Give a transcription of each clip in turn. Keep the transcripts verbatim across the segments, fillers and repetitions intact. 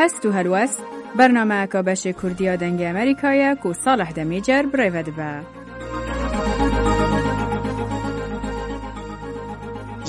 Hest û helwest, bernameyeka beşê Kurdî ya Dengê Amerîka ye ku Salih Demîcer bi rê ve dibe.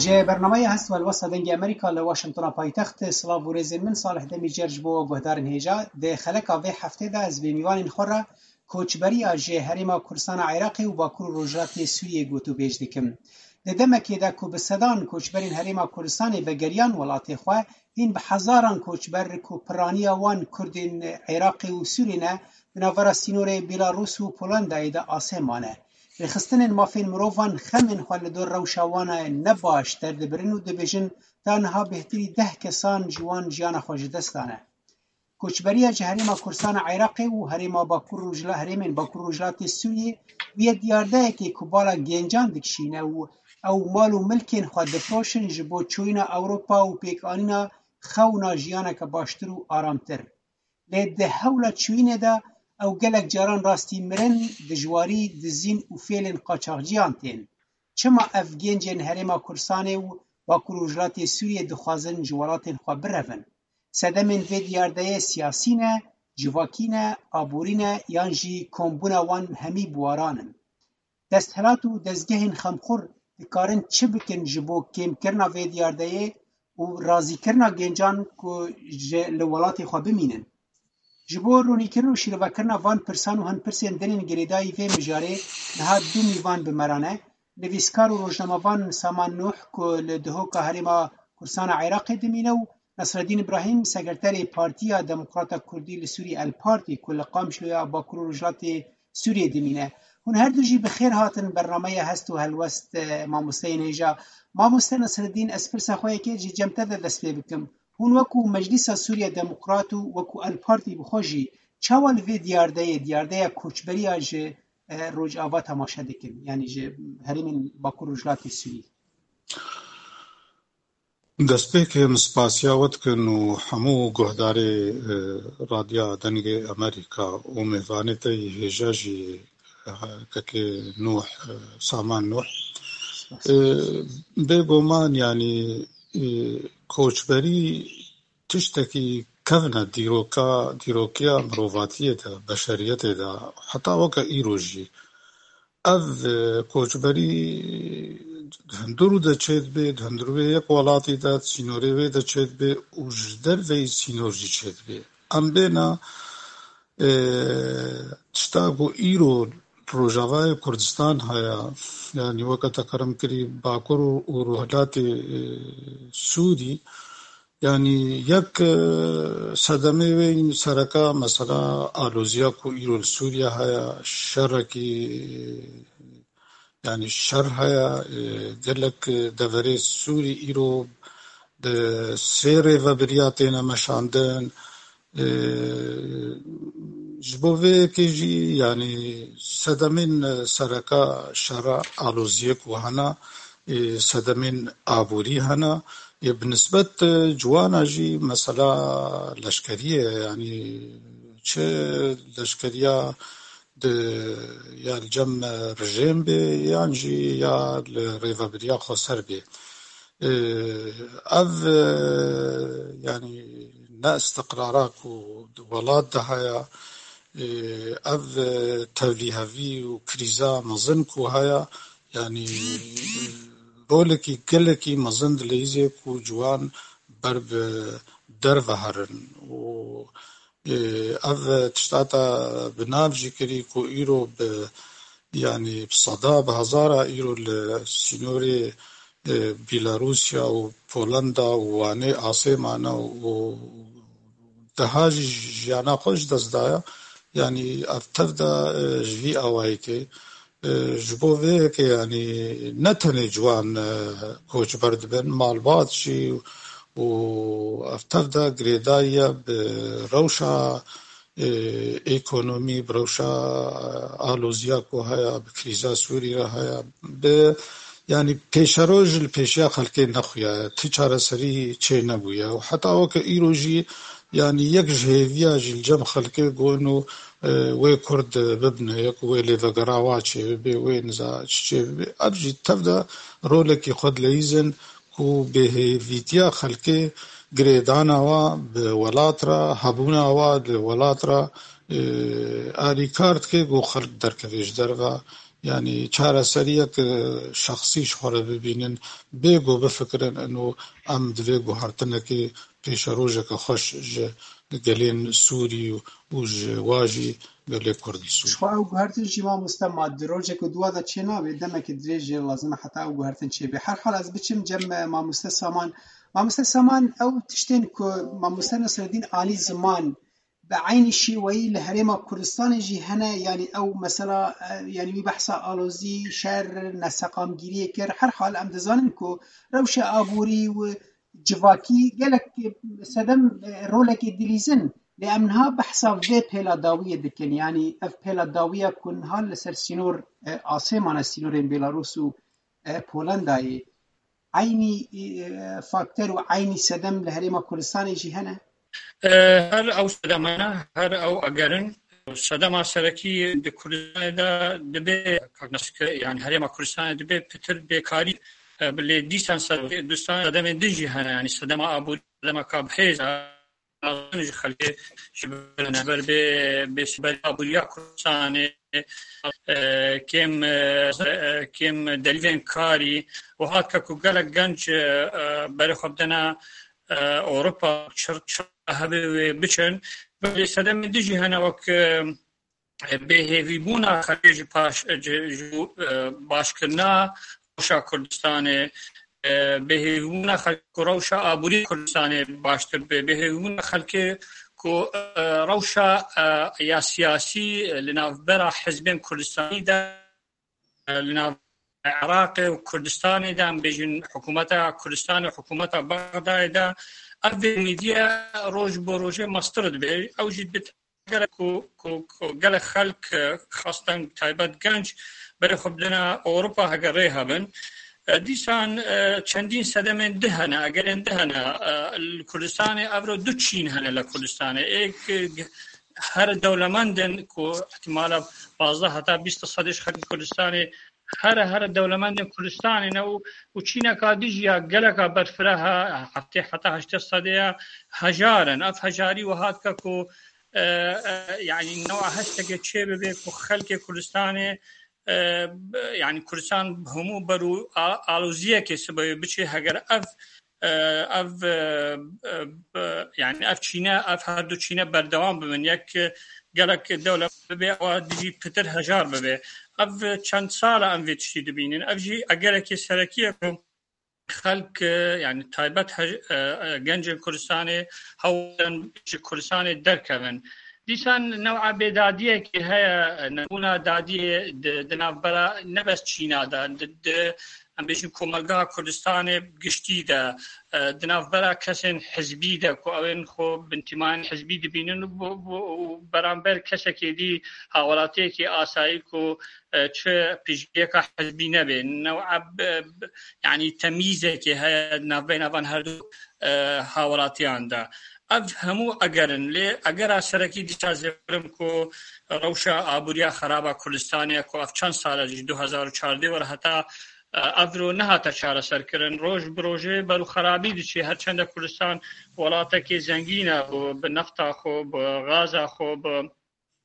Ji bernameya Hest û Helwesta Dengê Amerîka li Washingtona paytext, silav û rêzên min, Salih Demîcer ji bo we guhdarên hêja. Di xeleka vê heftê de ez bi mîvanên xwe re koçberiya ji Herêma Kurdistana Iraqê û Bakur û Rojhilatê Sûriyê gotûbêj dikim. Di demekê de ku bi sedan koçberên Herêma Kurdistanê vegeriyan welatê xwe, hîn bi hezaran koçber ku piraniya wan Kurdên Iraqê û Sûriyê ne, di navbera sînorê Belarus û Polandayê de asê mane. Rêxistinên mafên mirovan xemên xwe li dor rewşa wan ne baş derdibirin û dibêjin, ta niha bêhtirî deh kesan ji wan jiyana xwe ji dest dane. Koçberiya ji Herêma Kurdistana Iraqê û Herêma Bakur Rojhila-, herêmên Bakur Rojhilatê Sûriyê bûye diyardeyekê ku bala gencan dikişîne û ew mal û milkên xwe difiroşin ji bo çûyîna Ewropa û pêkanîna xewna jiyaneke baştir û aramtir. Lê di hewla çûyînê de ew gelek caran rastî mirin, dijwarî, dizîn û fêlên qaçaxciyan tên. Çima ev gencên Herêma Kurdistanê û Bakur Rojhilatê Sûriyê dixwazin ji welatên xwe birevin? Sedemên vê diyardeyê siyasî ne, civakî ne, aborî ne yan jî kombûna wan hemî bi waran in? Desthilat û dezgehên xemxur dikarin çi bikin ji bo kêmkirina vê diyardeyê û razîkirina gencan ku ji, li welatê xwe bimînin? Ji bo ronîkirin û şîrovekirina van pirsan û hinpirsên din ên girêdayî vê mijarê niha du mîvan bi me re ne, nivîskar û rojnamevan Saman Nuh ku li Dihoka Herêma Kurdistana Iraqê dimîne û Nasreddîn Îbrahîm, sekreterê Partiya Demokrata Kurdî li Sûrî, El Partî, ku li Qamişloya Bakur û Rojhilatê Sûriyê dimîne. Hûn her du jî bi xêr hatin bernameya Hest û Helwest, e, mamosteyên hêja. Mamoste Nasreddîn, ez pirsa xwe yekê ji cem te de dest pê bikim. Hûn wekû Meclîsa Sûriya Demokrat û wekû El Partî bi xwe jî çawa li vê diyardeyê, diярdeya koçberiya ji, e, Rojava temaşe dikin, yanî ji herêmên Bakur Rojhilatê Sûrî? Destpêkê em spasiya we dikin û hemû guhdarê, e, Radya Dengê Amerîka û mêvanê te yî hêja jî, e, kekê Nuh, e, Saman Nuh. E, bêguman, yanî, e, koçberî tiştekî kevn e dîroka, dîrokiya mirovatiyê de, beşeriyetê de, heta weke îro jî. Ev, e, koçberî di hundirû de çêdibe, di hundirûyê yek welatî de, di sînorê wê de çêdibe û ji derveyî sînor jî çêdibe. Em bêna, e, tişta ku îro Rojavayê Kurdistan heye, yanî weke te kerem kirî Bakur û, û Rojhilatê, e, Sûrî, Yanî yek, e, sedemê wê sereka mesela aloziya ku îro li Sûriye heye, şerekî, yanî şer heye, e, gelek deverê Sûrî îro di sê rêvebiriya têne meşandin. E, ji bo vê yekê jî, yanî sedemên sereka şera aloziyê ku hene, e, sedemên aborî hene. Ê, bi nisbet, e, ciwana jî mesela leşkeriyê, yanî çi leşkeriya di, ya li cem, e, rejêm bê, yan jî ya li rêvebiriya xweser bê. E, ev, e, yanî ne istiqrara ku di welat de heye, e, ev, e, tevlîhevî û krîza mezin ku heye, Yanî rolekî gelekî mezin dileyîzê ku ciwan ber bi derve herin û, e, ev tişta te bi nav jî kirî ku îro bi, yanî bi seda, bi hezara îro li sînorê, e, Bîlarûsya û Polenda û Wanê asê mane û deha jî jiyana xwe ji dest daye. Yanî ev tev de, e, ji vî awayekê, e, ji bo vê yekê, yanî ne tenê ciwan, e, koçber dibin, malbat jî û ev tev de girêdayî ye bi rewşa, e, ekonomî, bi rewşa, e, aloziya ku heye, bi krîza Sûrî re heye, bi, yanî pêşeroj li pêşiya xelkê nexuyaye, ti çareserî çê nebûye û heta weke îro jî, yanî yek ji hêviya jî li cem xelkê got û, e, wê Kurd bibine yek, wê lêvegera wa çêbibe, wê niza çi çêbibe. Ev jî tev de rolekî xwe dileyîzin ku bêhêvîtiya xelkê, girêdana wa bi welat re, hebûna wa li welat re, e, alîkar dike ku xelk derkeve ji derve. Yanî çareseriyek, e, şexsî ji xwe re bibînin, bê ku bifikirin ino em divê guhertinekê pêşerojeke xweş ji gelên Sûrî û ji wa jî gelê Kurd li Sûrî. Ji xwe ew guhertin jî mamoste ma di rojek û dua de çê nabe, demeke dirêj jê lazim e heta ew guhertin çêbe. Her hal ez biçim cem, e, mamoste Saman. Mamoste Saman, ew tiştên ku mamoste Nesreddîn alî ziman, bi eynî şêweyî li Herêma Kurdistanê jî hene, yanî ew mesela, e, yanî wî behsa alozî, şer, neseqamgiriyê kir. Her hal em dizanin ku rewşa aborî û civakî gelek sedem, e, rolekê dilîzin, lê em niha behsa vê pêla dawiyê dikin. Yanî ev pêla dawiya ku niha li ser sînor, e, asê mane sînorên Belarus û, e, Polandayê. Eynî, e, faktor û eynî sedem li Herêma Kurdistanê jî hene? E, her ew sedemane, her ew egerin. Sedema serekî di Kurdistanê de dibe, yani Herêma Kurdistanê dibe pitir bêkarî, e, lê dîsan sed-, dîsan sedemên din jî hene, yani sedema aborî, sedema ka bi hêz a, ji xelkê ji ber bê, bê sîberî aboriya Kurdistanê, e, kêm, e, kêm delîvên karî û hat ke ku gelek genc, e, e, berê xwe bidene, e, Ewropa, çir, çir hebe wê biçin. Belê sedemên din jî hene wek, e, bêhêvîbûna xelkê ji paş, ji, ji, e, başkirina rewşa Kurdistanê, e, bêhêvîbûna xelkê ku rewşa aborî Kurdistanê baştir be, bêhêvîbûna xelkê ku, e, rewşa, e, ya siyasî li navbera hizbên Kurdistanî de, e, li nav Iraqê û Kurdistanê de, em bêjin hikûmeta Kurdistanê û hikûmeta Bexdayê de, ev vê mîdiya roj bo rojê mestir dibe. Ew jî dibit gelek ku, ku, ku gelek xelk, e, xastan taybet genc berê xwe bidine Ewropa hege rê hebin. E, dîsan, e, çendîn sedemên di hene, egerên di hene, e, li Kurdistanê evro du çîn hene li Kurdistanê. Êk, e, her dewlemendin ku ihtimala pazdeh heta bîst sedê ji xelkê Kurdistanê here here dewlemendên Kurdistanê ne û, û çîneka dijî ya geleka berfireh e, heftê heta heştê sedê ya hejar in. Ev hejarî wiha dike ku, e, e, yanî newa hesteke çê bibe ku xelkê Kurdistanê, e, b-, yanî Kurdistan hemû ber û a-, aloziyekê sibê biçê heger ev, e, ev, e, e, b-, yanî ev çîne, ev her du çîne berdewam bibin. Yek, e, gelek dewlet bibe, ewa dijî pitir hejar bibe. Ev çend sal e em vê tiştî dibînin. Ev jî egerekê serekî ye ku xelk, e, yanî taybet hej-, e, e, gencên Kurdistanê hewlin ji Kurdistanê derkevin. Dîsan new'a bêdadiyekê heye, e, nebûna dadiyê di, di navbera ne bes çîna de, di, di, em bêjin komelgeha Kurdistanê giştî de, e, di navbera kesên hizbî de ku ew ên xwe bi întimayên hizbî dibînin û bu, bu, û beramber kesekê dî hawelatiyekê asayî ku, e, çi piştgiriyeka hizbî nebe. New'a b-, b-, yanî temîzekê heye di navbeyna van her du, e, hawelatiyan de. Ev hemû eger in, lê egera serekî dîsa zêbirim ku rewşa aboriya xeraba Kurdistanê ku ev çend sal e ji du hezar û çardeh were heta, e, evro nehate çareserkirin. Roj bi rojê ber û xerabî diçe. Her çende Kurdistan welatekê zengîn e, bi, bi nefta xwe, bi gaza xwe, bi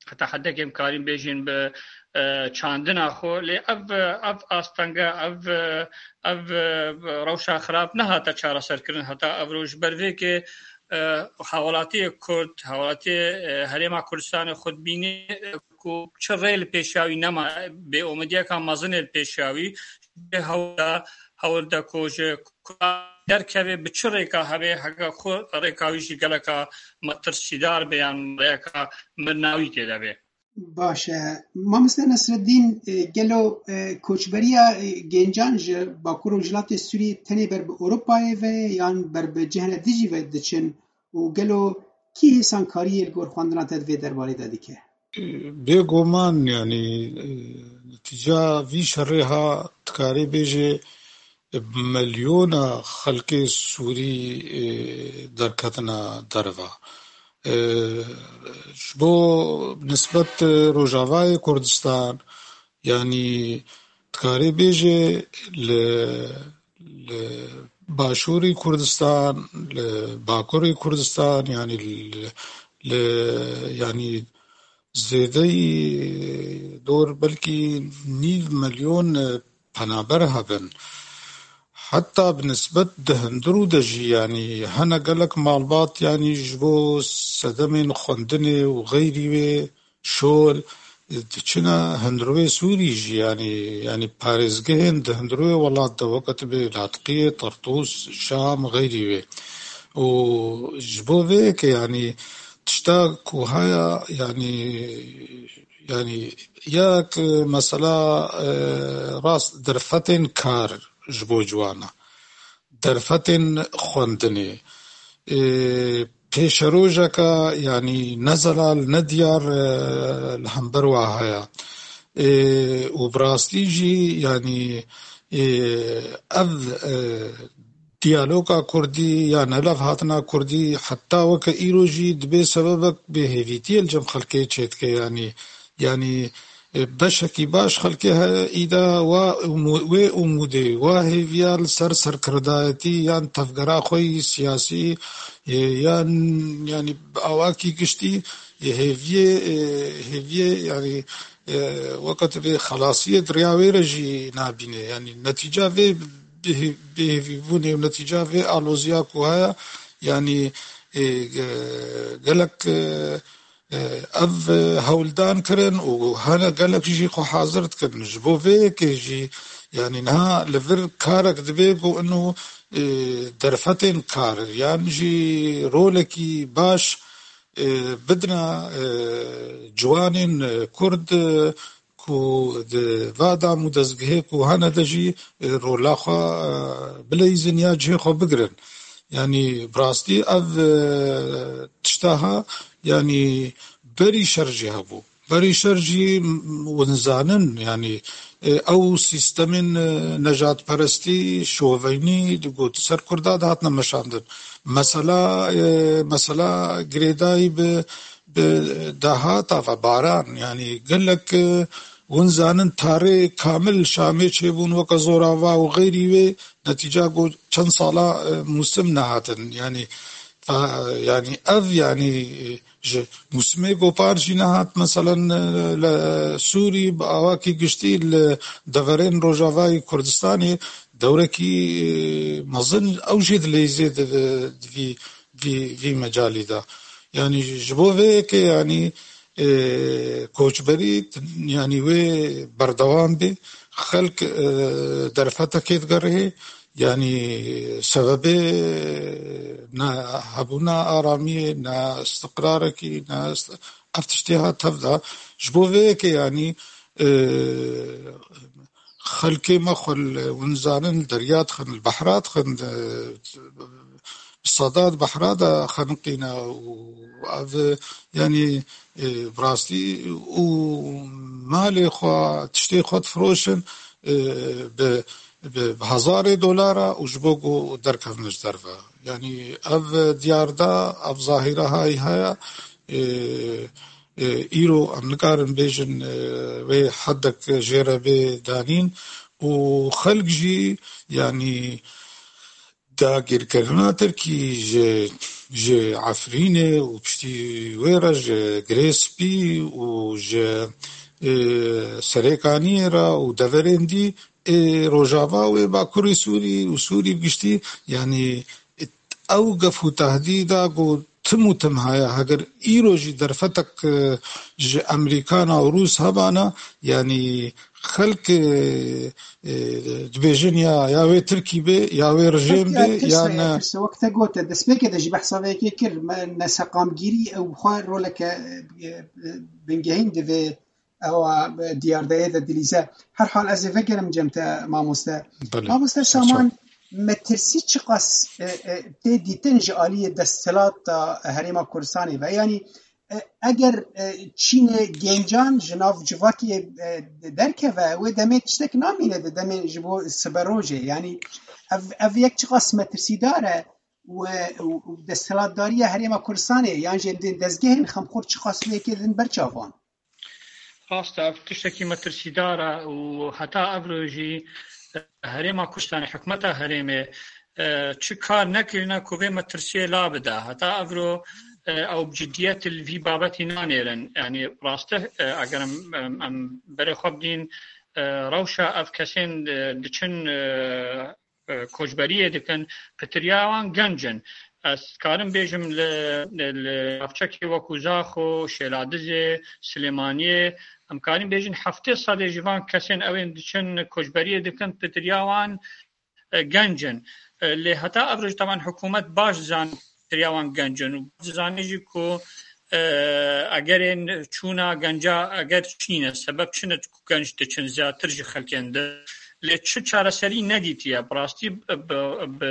heta hedekê em karîn bêjin bi, e, çandina xwe. Lê ev, ev astenge, ev, ev, e, rewşa xirab nehate çareserkirin heta evro. Ji ber vê ke, e, hawelatiyê Kurd, hawelatiyê, e, Herêma Kurdistanê xwe dibîne, e, ku çi rê li pêşiya wî nema, bêomidiyeka mezin ê li pêşiya wî, ji hewl de, hewl de ku ji Kurdan derkeve, bi çi rêka hebe, heke xwe rêka wî jî geleka metirsîdar be yan rêka mirnawî tê de be. Baş e. Mamoste Nesreddîn, e, gelo, e, koçberiya, e, gencan ji Bakur Rojhilatê Sûriyê tenê ber bi Ewropayê ve yan ber bi cihene dijî ve diçin û gelo kî hêsankariyê li gor xwendina te di vê derbarê de dike? Bêguman, yanî, e, netîca vî şerê ha dikarê bêjê, e, milyona xelkê Sûrî, e, derketina derva. E, ji bo nisbet Rojavayê Kurdistan, yanî dikarê bêjê li, li Başûrî Kurdistan, li Bakurî Kurdistan, yanî li, li, yanî zêdeyî dor belkî nîv milyon, e, penaber hebin. Heta bi nisbet di hundirû de jî, yanî hene gelek malbat, yanî ji bo sedemên xwendinê û xeyrî wê şol, diçine hundirûyê Sûrî jî, yanî, yanî parêzgehên di hundirûyê welat de, weke tu bê Latqiyê, Tertûs, Şam, xeyrî wê. Û ji bo vê yekê, yanî tişta ku haya, yanî, yanî yek mesela, e, rast derfetên kar ji bo ciwana. Derfetên xwendinê. Ê, pêşerojeke, yanî ne zelal, ne diyar, e, li hember wa heye. Ê, û bi rastî jî, yanî, ê, ev, e, diyaloga kurdî ya nelev hatina kurdî heta weke îro jî dibê sebebek bêhêvîtiyê li cem xelkê çêdike, yanî, yanî, e, beşekî baş xelkê heye îda wa umû-, wê umûdê, wa hêviya li ser serkirdayetî yan tevgera xwe yî siyasî, e, yan, yanî bi awakî giştî, e, hêviyê, e, hêviyê, yanî, e, weke tu bê xelasiyê di riya wê re jî nabîne. Yanî netîca vê bêhê-, bêhêvîbûnê û netîca vê aloziya ku heye, yanî, e, ge-, gelek, e, e, ev, e, hewldan kirin û hene gelek jî xwe hazir dikin. Ji bo vê yekê jî, yanî niha li vir karek dibe ku ino, e, derfetên kar yan jî rolekî baş, e, bidine, e, ciwanên, e, Kurd, e, ku di va dam û dezgehê ku hene de jî, e, rola xwe, e, bileyzin ya cihê xwe bigirin. Yanî bi rastî ev, e, tişta ha, yanî berî şer jî hebû. Berî şer jî, m-, hûn zanin, yanî, e, ew sîstemên, e, nejadperestî, şoveynî, di got ser Kurda dihatine meşandin. Mesela, e, mesela girêdayî bi, bi dahata ve baran, yanî gelek, e, hûn zanin tarê kamil Şamê çêbûn weke zorava û xeyrî wê, netîca ku çend sala, e, mûsim nehatin. Yanî, ta, yanî ev, yanî, e, ji mûsimê gopar jî nehat, meselen, e, li Sûrî bi awakî giştî li deverên Rojavayê Kurdistanê dewrekî, e, mezin ew jî dileyzê di, di vî, vî, vî mecalî de. Yanî ji bo vê yekê, yanî, e, koçberî, yanî wê berdewam bê. Xelk, e, derfetekê digerihê. Yanî sebebê ne hebûna aramiyê, ne istiqrarekî, ne ist-, ev tiştê hat tev de. Ji bo vê yekê, yanî, e, xelkê me xwe li, hûn zanin, li derya dixin, li behra dixin, e, bi sedat behra de xeniqîne û ev, yanî, e, bi rastî û malê xwe, tiştê xwe difiroşin, e, bi, bi, bi hezarê dolara û ji bo ku derkevin ji derve. Yanî ev diyar de, ev zahîre hayî heye, e, e, îro em nikarin bêjin, e, wê heddek jê re bê danîn û xelk jî, yanî, dagirkirina Tirkî ji, ji Efrînê û piştî wê re ji Girê Spî û ji, e, Serêkaniyê re û deverên dî, ê Rojava wê Bakurê Sûrî û Sûrî bi giştî, yanî ew gef û tehdîda ku tim û tim heye, heger îro jî derfetek, e, ji Amerîkana û Rûs hebana, yanî xelk, e, e, dibêjin ya, ya wê Tirkî bê, ya wê rejîm bê, ya ne. Wek te gote, destpêkê de jî behsa vê yekê kir, me ne seqamgîrî ew bi xwe roleke, e, e, bingehîn divê ewa, e, diyardeyê de dilîze. Her hal ez ê vegerim cem te mamoste. Belê. Mamoste Saman, metirsî çiqas, e, e, tê dîtin ji aliyê desthilata Herêma Kurdistanê ve? Yanî, e, eger, e, çînê gencan ji nav civakê, e, derkeve, wê demê tiştek namîne di demê ji bo siberojê. Yanî ev, ev yek çiqas metirsîdar e û, û, û desthilatdariya Herêma Kurdistanê yan jî em dên dezgehên xemxor çiqas lê yekê din ber çavan? Rast e, ev tiştekî metirsîdar e û heta evro jî Herêma Kurdistanê, hikûmeta herêmê, e, çi kar nekirine ku vê metirsiyê la bide. Heta evro, e, ew bi cidiyet li vî babetî nanêrin. Yanî rastih, e, eger em, em, em berê xwe bidîn, e, rewşa ev kesên, e, diçin, e, e, koçberiyê dikin, pitiriya wan genc in. Ez karim bêjim li, li navçekê wekû Zaxo, Şêladizê, Silêmaniyê, em karin bêjin heftê sedê ji van kesên ew ên diçin koçberiyê dikin, pitiriya wan, e, genc in. E, lê heta ev roj teban hikûmet baş dizan pitiriya wan genc in. Û dizanî jî ku, e, egerên çûna genca eger çi nîne, sebeb çi ne ku genc diçin zêdetir ji xelkên din. Lê çi çareserî nedîtiye. Bi rastî bi, bi,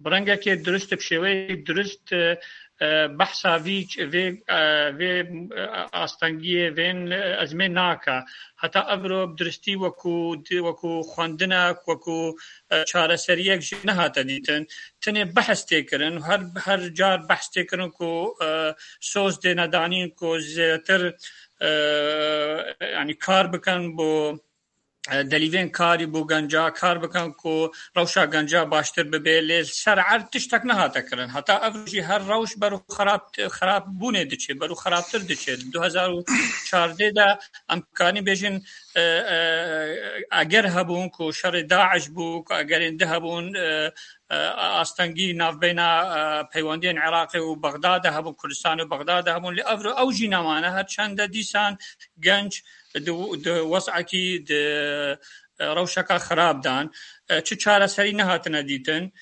bi rengekê dirust, bi şêweyê dirust, e, e, behsa vî, vê, e, vê, e, astengiyê, vên, e, ezmê nake. Heta evro bi dirustî wekû, wekû xwendinek, wekû, e, çareseriyek jî nehate dîtin. Tenê behs tê kirin, her, her car behs tê kirin ku, e, soz têne danîn ku zêdetir, e, yanî kar bikin bo, e, delîvên karî bo genca, kar bikin ku rewşa genca baştir bibe, lê li ser erd tiştek nehate kirin. Heta ev jî her rewş ber û xerab, xerab bûnê diçe, ber û xerabtir diçe. Li du hezar û çardeh de em kanî bêjin, e, e, eger hebûn ku şerê DAIŞ bû, ku egerên di hebûn, e, e, astengî navbeyna, e, peywendiyên Iraqê û Bexdadê hebûn, Kurdistanê û Bexdadê hebûn, lê evro ew jî nemane. Her çende dîsan genc di, di wez'ekî, di, e, rewşeka xirab dan. E, çi çareserî nehatine dîtin.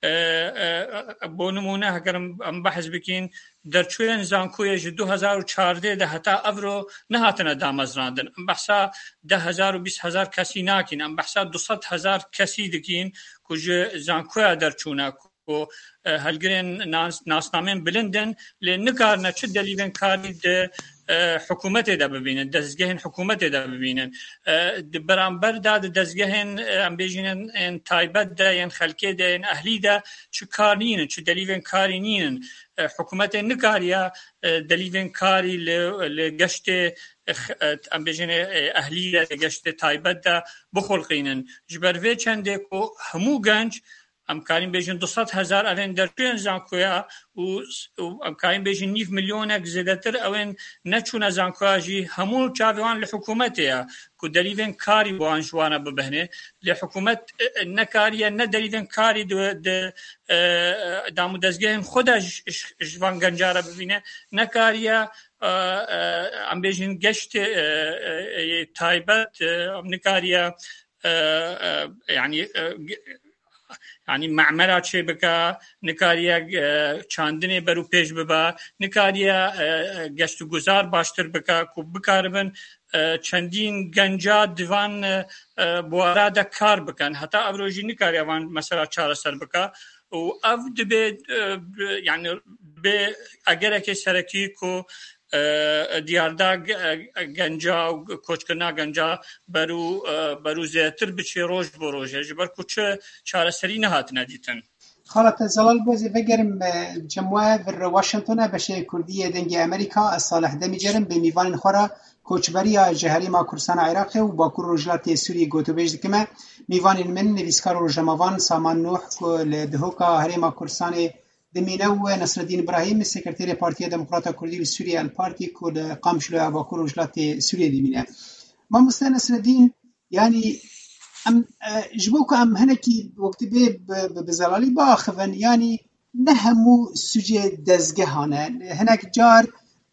E, e, bo nimûne, heger em, em behs bikîn, derçûyên zankoyê ji du hezar û çardeh de heta evro nehatine damezrandin. Em behsa deh hezar û bîst hezar kesî nakîn. Em behsa du sed hezar kesî dikîn ku ji zankoya derçûne, ku, e, helgirên nas-, nasnamên bilind in, lê nikarine çi delîvên karî di, e, hikûmetê de bibînin, dezgehên hikûmetê de bibînin. E, di beramber de di dezgehên, e, em bêjînin, ên taybet de, yên xelkê de, yên ehlî de çi kar nînin, çi delîvên karî nînin. E, hikûmetê nikariye, e, delîvên karî li, li geştê, e, x-, e, em bêjin, e, ehlî de, li geştê taybet de bixulqînin. Ji ber vê çendê ku hemû genc, em karîn bêjin du sed hezar evên derçûyên zankoya û, û em karîn bêjin nîv milyonek zêdetir ewên neçûne zankoya jî hemû çavê wan li hikûmetê ye ku delîvên karî wan ji wana bibihne. Lê hikûmet, e, e, nekariye ne delîvên karî di, di, e, e, dam û dezgehên xwe de ji, ji, ji van genca re bibîne, nekariye, e, e, em bêjin geştê, e, e, e, taybet, e, em nikariye, e, e, yanî, e, ge-, yanî memera çêbike, nikariye, e, çandinê ber û pêş bibe, nikariye, e, e, geştguzar baştir bike ku bikaribin, e, çendîn genca di van, e, e, buwara de kar bikin. Heta evro jî nikariye van mesela çareser bike û ev dibe, e, bi-, yanî bê egerekê serekî ku, e, diyarda ge-, e, genca û koçkirina genca berû, e, berû zêdetir biçê roj bo rojê, ji ber ku çi çareserî nehatine dîtin. Xala te zelal bo ez ê vegerim, e, cem we vir Washington e, beşê Kurdî yê Dengê Amerîka, ez Salih Demîcer im, bê mîvanên xwe re koçberiya ji Herêma Kurdistana Iraqê û Bakur Rojhilatê Sûriyê gotûbêj dikime. Mîvanên min, nivîskar û rojnamevan Saman Nuh ku li Dihoka Herêma Kurdistanê dimîne û Nesreddîn Ibrahîm, Sekreterê Partiya Demokrata Kurdî li Sûriyê, El Partî, ku li Qamşloya Bakur Rojhilatê Sûriyê dimîne. Mamoste Nesreddîn, yanî em, e, ji bo ku em hinekî wek dibê bi, bi, bi zelalî biaxivin, yanî ne hemû sucê dezgehan e. Hinek car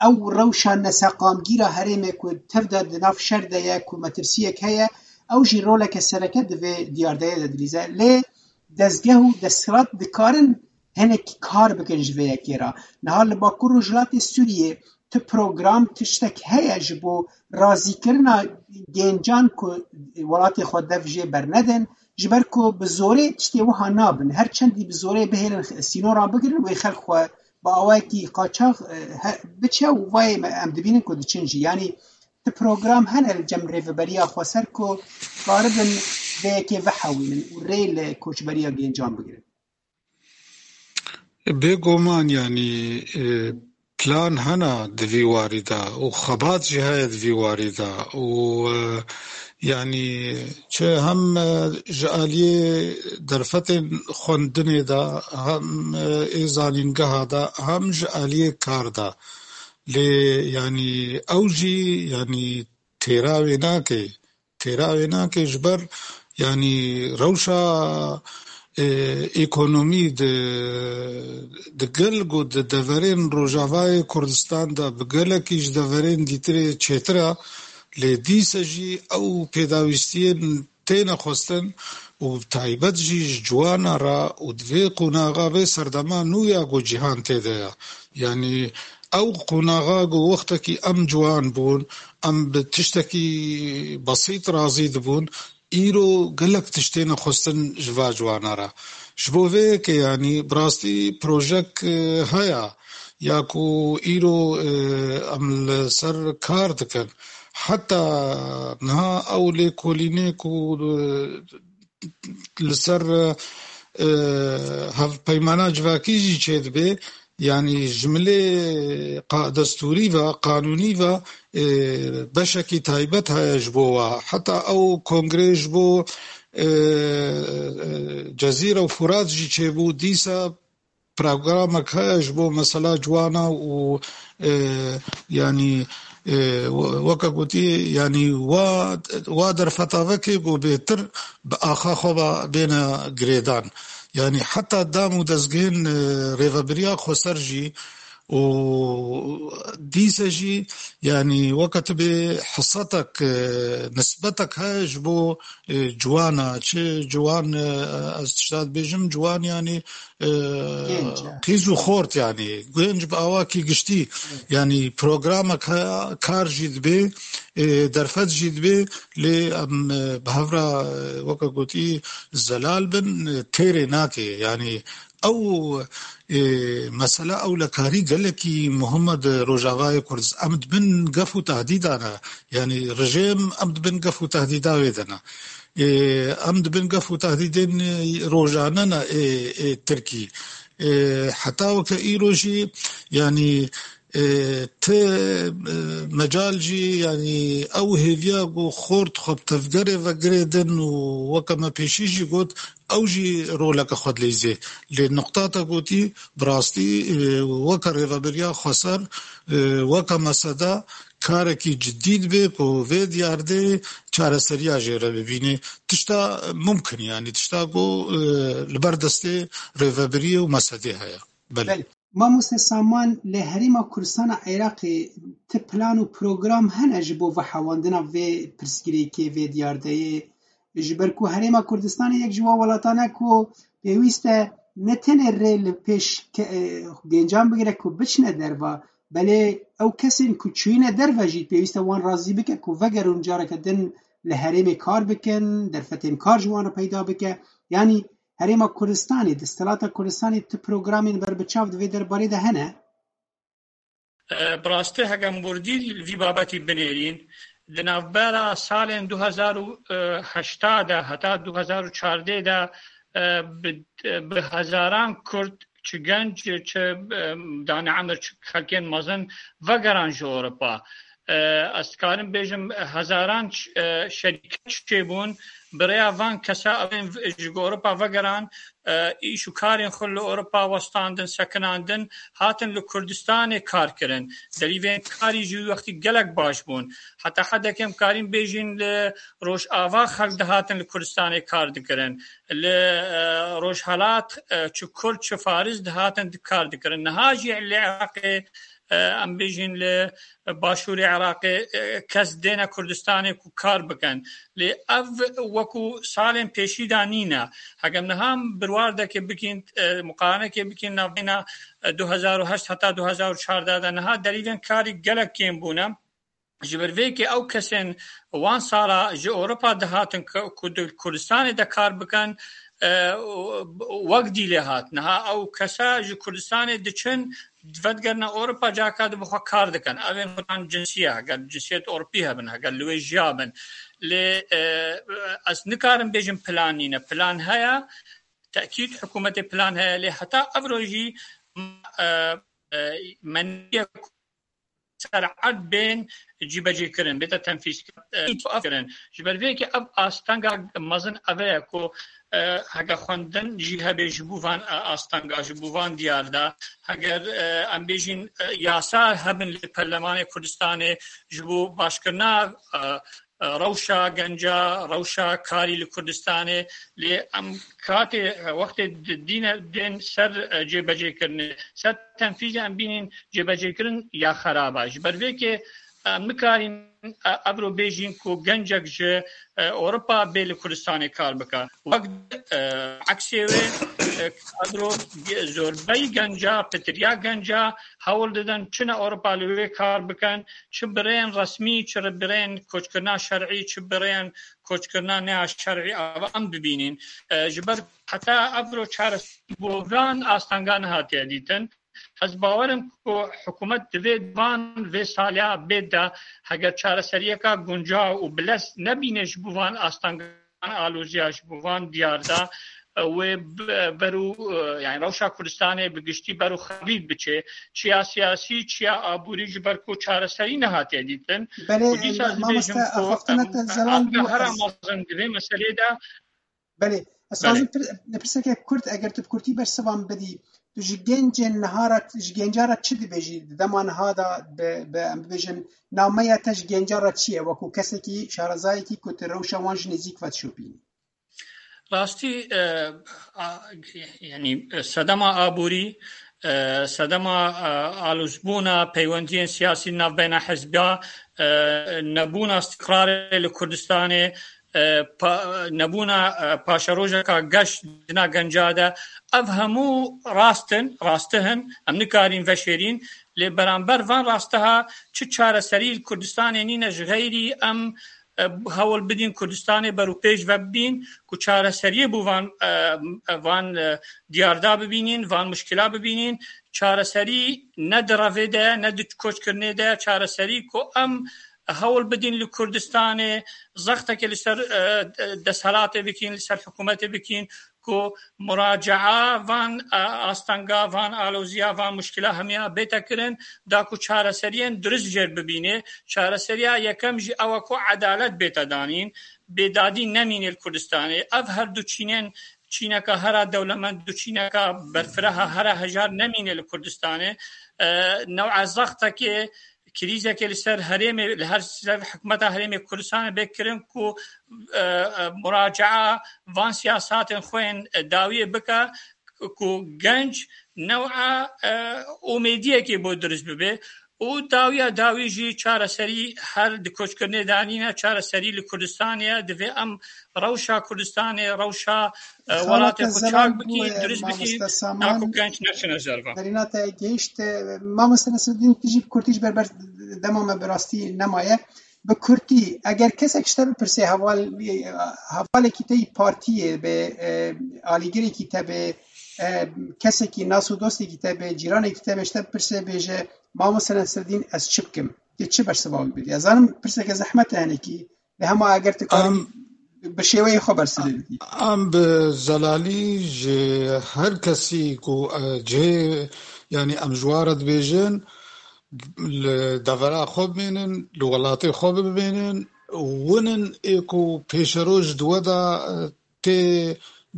ew rewşa neseqamgîra herêmê ku tev de di nav şer de ye, ku metirsiyek heye, ew jî roleke sereke di vê diyardeyê de dilîze. Lê dezgeh û desthilat dikarin hinek kar bikin ji vê yekê re. Niha li Bakur Rojhilatê Sûriyê ti program, tiştek heye ji bo razîkirina gêncan ku welatê xwe dev jê bernedin, ji ber ku bi zorê tiştê wiha nabin. Her çendî bi zorê bihêlin sînoran bigirin, wê xelk xwe bi awayekî qaçax, e, he-, biçe û vayê me em dibînin ku diçin jî. Yanî ti program hene li cem rêveberiya xweser ku karibin vê yekê vehewînin û rê li koçberiya gêncan bigirin. Bêguman, yanî, e, plan hene di vî warî de û xebat jî heye di vî warî de û, e, Yanî çi hem, e, ji aliyê derfetên xwendinê de, hem, e, ê zanîngeha de, hem ji aliyê kar de. Lê yanî ew jî yanî têra wê nake. Têra wê nake ji ber yanî rewşa, e, ekonomî di, di gel ku di deverên Rojavayê Kurdistan de bi gelekî ji deverên dîtirê çêtir e, lê dîse jî ew pêdawîstiyên têne xwestin û bi taybet jî ji ciwana re û di vê qonaxa vê serdema nû ya ku cîhan tê de ye. Yanî ew qonaxa ku wextekî em ciwan bûn, em bi tiştekî besît razî dibûn, îro gelek tiştên xwestin ji va ciwana re. Ji bo vê yekê yanî bi rastî projek, e, heye ya ku îro, e, em li ser kar dikin. Heta niha ew lêkolînê ku, e, li ser, e, hevpeymana civakî jî çêdibe, yanî ji milê qa-, destûrî ve, qanûnî ve, e, beşekî taybet heye ji bo wa. Heta ew kongrê ji bo, e, e, Cezîre û Furat jî çêbû, dîsa programek heye ji bo mesela ciwana û, e, yanî, e, we-, weke gotî, yanî wa, wa derfeta vekê ku bêtir bi axa xwe ve bêne girêdan. Yanî heta dam û dezgehên, e, rêvebiriya xweser jî û dîse jî, yanî weke tu bê hisetek, e, nisbetek heye ji bo e, ciwana, çi ciwan, e, ez tişta dibêjim, ciwan yanî, e, Genç, e. Qîz û xort yanî, genç bi awakî giştî, Evet. Yanî programek heye, kar jî dibê, e, derfet jî dibê, lê em, e, bi hev re, e, weke gotî zelal bin, e, têrê nake, yanî ew, e, mesela ewlekarî gelekî muhim e di Rojavayê Kurdistan. Em di bin gef û tehdîda ne. Yanî rejîm em di bin gef û tehdîda wê de ne. Ê, em di bin gef û tehdîdên, e, rojane ne, ê, ê Tirkî. Ê, heta weke îro jî, yanî, ê, ti, e, mecal jî, yanî ew hêviya ku xort xwe bi tevgerê ve girêdin û weke me pêşî jî got, ew jî roleke xwe dileyzê. Lê nuqta te gotî, bi rastî, e, weke rêveberiya xweser, e, weke mesede, karekî cidî dibe ku vê diyardê çareseriya jê re bibîne. Tişta mumkin, yanî tişta ku, e, li ber destê rêvebiriyê û mesedê heye. Belê. Belê. Mamoste Saman, li Herêma Kurdistana Iraqê ti plan û program hene ji bo vehewandina vê pirsgirêkê, vê diyardeyê? Ji ber ku Herêma Kurdistanê yek ji wan welatan e ku pêwîst e ne tenê rê li pêş ke-, e, gencan bigire ku biçine derva, belê ew kesên ku çûyîne derve jî pêwîst e wan razî bike ku vegerin, careke din li herêmê kar bikin, derfetên kar ji wan re peyda bike. Yanî Herêma Kurdistanê, desthilata Kurdistanê ti programên berbiçav di vê derbarê de hene? E, bi rastî heke em wirdî li vî babetî binêrîn, di navbera salên du hezar û heştê de heta du hezar û çardeh de, e, bi, bi hezaran Kurd, çi genc, çi, e, dane emir, çi xelkên mezin vegeran ji Ewropa. E, ez dikarim bêjim, hezaran, e, şerîket çêbûn, bi rêya van kesa evên v-, ji Ewropa vegeran, e, îş û karên xwe li Ewropa westandin, sekinandin, hatin li Kurdistanê kar kirin. Derîvên karî jî wî wextî gelek baş bûn. Heta hedekê em karîn bêjin li Rojava xelk dihatin li Kurdistanê kar dikirin. Li, e, Rojhelat, e, çi Kurd, çi Faris dihatin di-, kar dikirin. Niha jî li Iraqê, e, em bêjin li Başûrê Iraqê, e, kes dêne Kurdistanê ku kar bikin. Lê ev wekû salên pêşî de nîne. Heke em niha birwardekê bikîn, e, muqaranekê bikîn navbeyna, e, du hezar û heşt heta du hezar û çardeh de niha derîvên karî gelek kêm bûne. Ji ber vê yekê ew kesên wan sala ji Ewropa dihatin ku, ku di Kurdistanê de kar bikin, e, wek dîlê hat. Niha ew kesa ji Kurdistanê diçin, vedigerine Ewropa, carka di bi xwe kar dikin. Ev ên xwedan cinsî ye, heger cinsiyet Ewropî hebin, heger li wê jiya bin. Lê, e, ez nikarim bêjim plan nîne. Plan heye, tekîd hikûmetê plan heye, lê heta ev rojî, e, e, me nîye ser erd bên cîbecêkirin, bête tenfîzkirin. Ji ber vê yekê ev astenga mezin ev e ku, e, heke xwendin jî hebe ji bo van, e, astenga, ji bo van diyar de, heger, e, em bêjin, e, yasa hebin li Perlemanê Kurdistanê ji bo başkirina, e, e, rewşa genca, rewşa karî li Kurdistanê, lê em katê, e, wextê di-, dîne, dên ser, e, cêbecêkirinê, ser tenfîzê em bînin cêbecêkirin ya xerab e. Ji ber vê yekê, e, em nikarin, e, evro bêjin ku gencek ji, e, Ewropa bê li Kurdistanê kar bike. Wek, e, eksê wê, e, kadro ge-, zorbeyî genca, pitiriya genca hewl didin çine Ewropa li wê kar bikin, çi bi rêyên resmî, çi bi rêyên koçkirina şer'î, çi bi rêyên koçkirina neya şer'î, ava em bibînin. E, ji ber heta evro çareserî bo van astanga nehatiye dîtin. Ez bawer im ku hikûmet divê van vê saliya bê de, heger çareseriyeka guncaw û bilez nebîne ji bo van astanga, van aloziya, ji bo van diyar de, e, wê b-, beru, e, yani rewşa Kurdistanê bi giştî beru xebî biçe, çiya siyasî, çiya aborî, ji ber ku çareserî nehatiye dîtin. Belê, Û dîsa ez dibêjim mamoste, ku, axaftina em, te Zelal astenga bû, hera ez mezin di vê meselê de, Belê, ez Belê. dixwazim pir-, pirseke kurt, eger tu bi kurtî bersivan bidî, tu ji gencên niha re, ji genca re çi dibêjî? Di dema niha de bi, bi, em bibêjin, nameya te ji genca re çi ye? Wekû kesekî, şarezayekî ku tu rewşa wan ji nêzîk ve dişopînî. Rastî, e, a, yani, e, sedema aborî, e, sedema, e, alozbûna peywendiyên siyasî navbeyna hizba, e, nebûna îstiqrarê li Kurdistanê, e, pa-, nebûna, e, paşerojeka geş dina genca de, ev hemû rast in, rastihin, em nikarin veşêrîn, lê beramber van rastiha çi çareserî li Kurdistanê nîne ji xeyrî em, e, hewl bidin Kurdistanê berûpêş ve bibîn, ku çareseriyê bo van, e, van, e, diyarda bibînin, van muşkila bibînin, çareserî ne di revê de, ne di koçkirinê de, çareserî ku em hewl bidin li Kurdistanê zextekê li ser, e, desthilatê bikin, li ser hikûmetê bikin, ku muracaa van, e, astanga, van aloziya, van muşkila hemiya bête kirin, da ku çareseriyên durist jêr bibîne. Çareseriya yekem jî ew e ku edalet bête danîn, bêdadî nemîne li Kurdistanê. Ev her du çînên, çîneka hera dewlemend, du çîneka berfireha hera hejar nemîne li Kurdistanê. E, new'a zextekê, krîzekê li ser herêmê, li her ser hikûmeta herêmê Kurdistanê bê kirin ku, e, e, muracaa van siyasatên xwe yên, e, dawiyê bike ku genc new'a, e, umêdiyekê bo dirust bibe. Û dawiya dawî jî çareserî her di koçkirinê de nîne, çareserî li Kurdistanê ye. Divê em rewşa Kurdistanê, rewşa, e, Xalate welatê xwe Zelal çak bû, bikî, e, dirust bikî, mamoste Saman, naku genç neçine derve. Derîna te gehişt, e, mamoste Nesreddîn, tu jî bi kurtî ji ber ber dema me bi rastî nemaye. Bi kurtî, eger kesek ji te bipirse, heval, hevalekî te yî partiyê be, e, alîgirekî te be, e, kesekî nas û dostekî te be, cîranekî te be, ji te bipirse, bêje, mamoste Nesreddîn, ez çi bikim? Tu çi bersiva wî bidî? Ez zanim pirseke zehmet e hinekî, lê hema eger tu karî Em bi şêweyê xwe bersiva bidî. Em bi zelalî ji her kesî ku, e, cihê, yanî em ji wan re dibêjin, li devera xwe bimînin, li welatê xwe bimînin, win in ê ku pêşeroj di we de, e, tê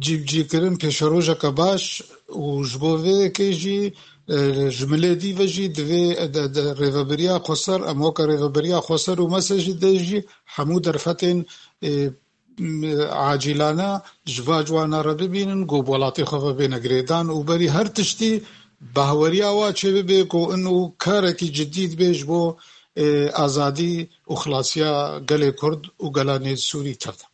cîbicîkirin, pêşerojeke baş û ji bo vê yekê jî, e, ji milê dî ve jî divê, e, de, de rêvebiriya xweser, em weke rêvebiriya xweser û mese jî de jî hemû derfetên, e, m-, acîlane ji va ciwana re bibînin, ku bi welatê xwe ve bêne girêdan û berî her tiştî bahweriya wa çêbibe ku ino karekî cidî dibe ji bo, e, azadî û xilasiya gelê Kurd û gela Nêvsûrî tev de.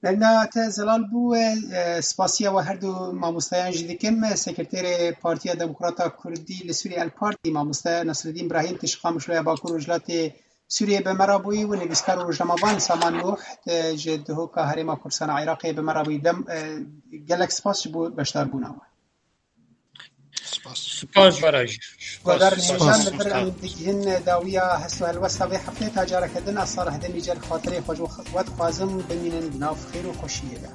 Derna te zelal bû, e, spasiya we her du mamosteyan jî dikim. Sekreterê Partiya Demokrata Kurdî li Sûriyê El Partî, mamoste Nasreddîn Brahîm, tê ji Qamişloya Bakur Rojhilatê Sûriyê bi me re bûyî û nivîskar û rojnamevan Saman Nûh, e, ji Duhoka Herêma Kurdistan a Iraqê bi me re bûyî. Dem, e, gelek spas ji bo beşdarbûna we. Spas. Spas, Baraj. Spas. Guhdarên hêja, li vir em digihîn dawiya hest û helwesta vê hefteyê. Ta careke din, ez Salih Demîcer xatirê xwe ji we dixwazim, bimînin di nav xêr û xweşiyê de.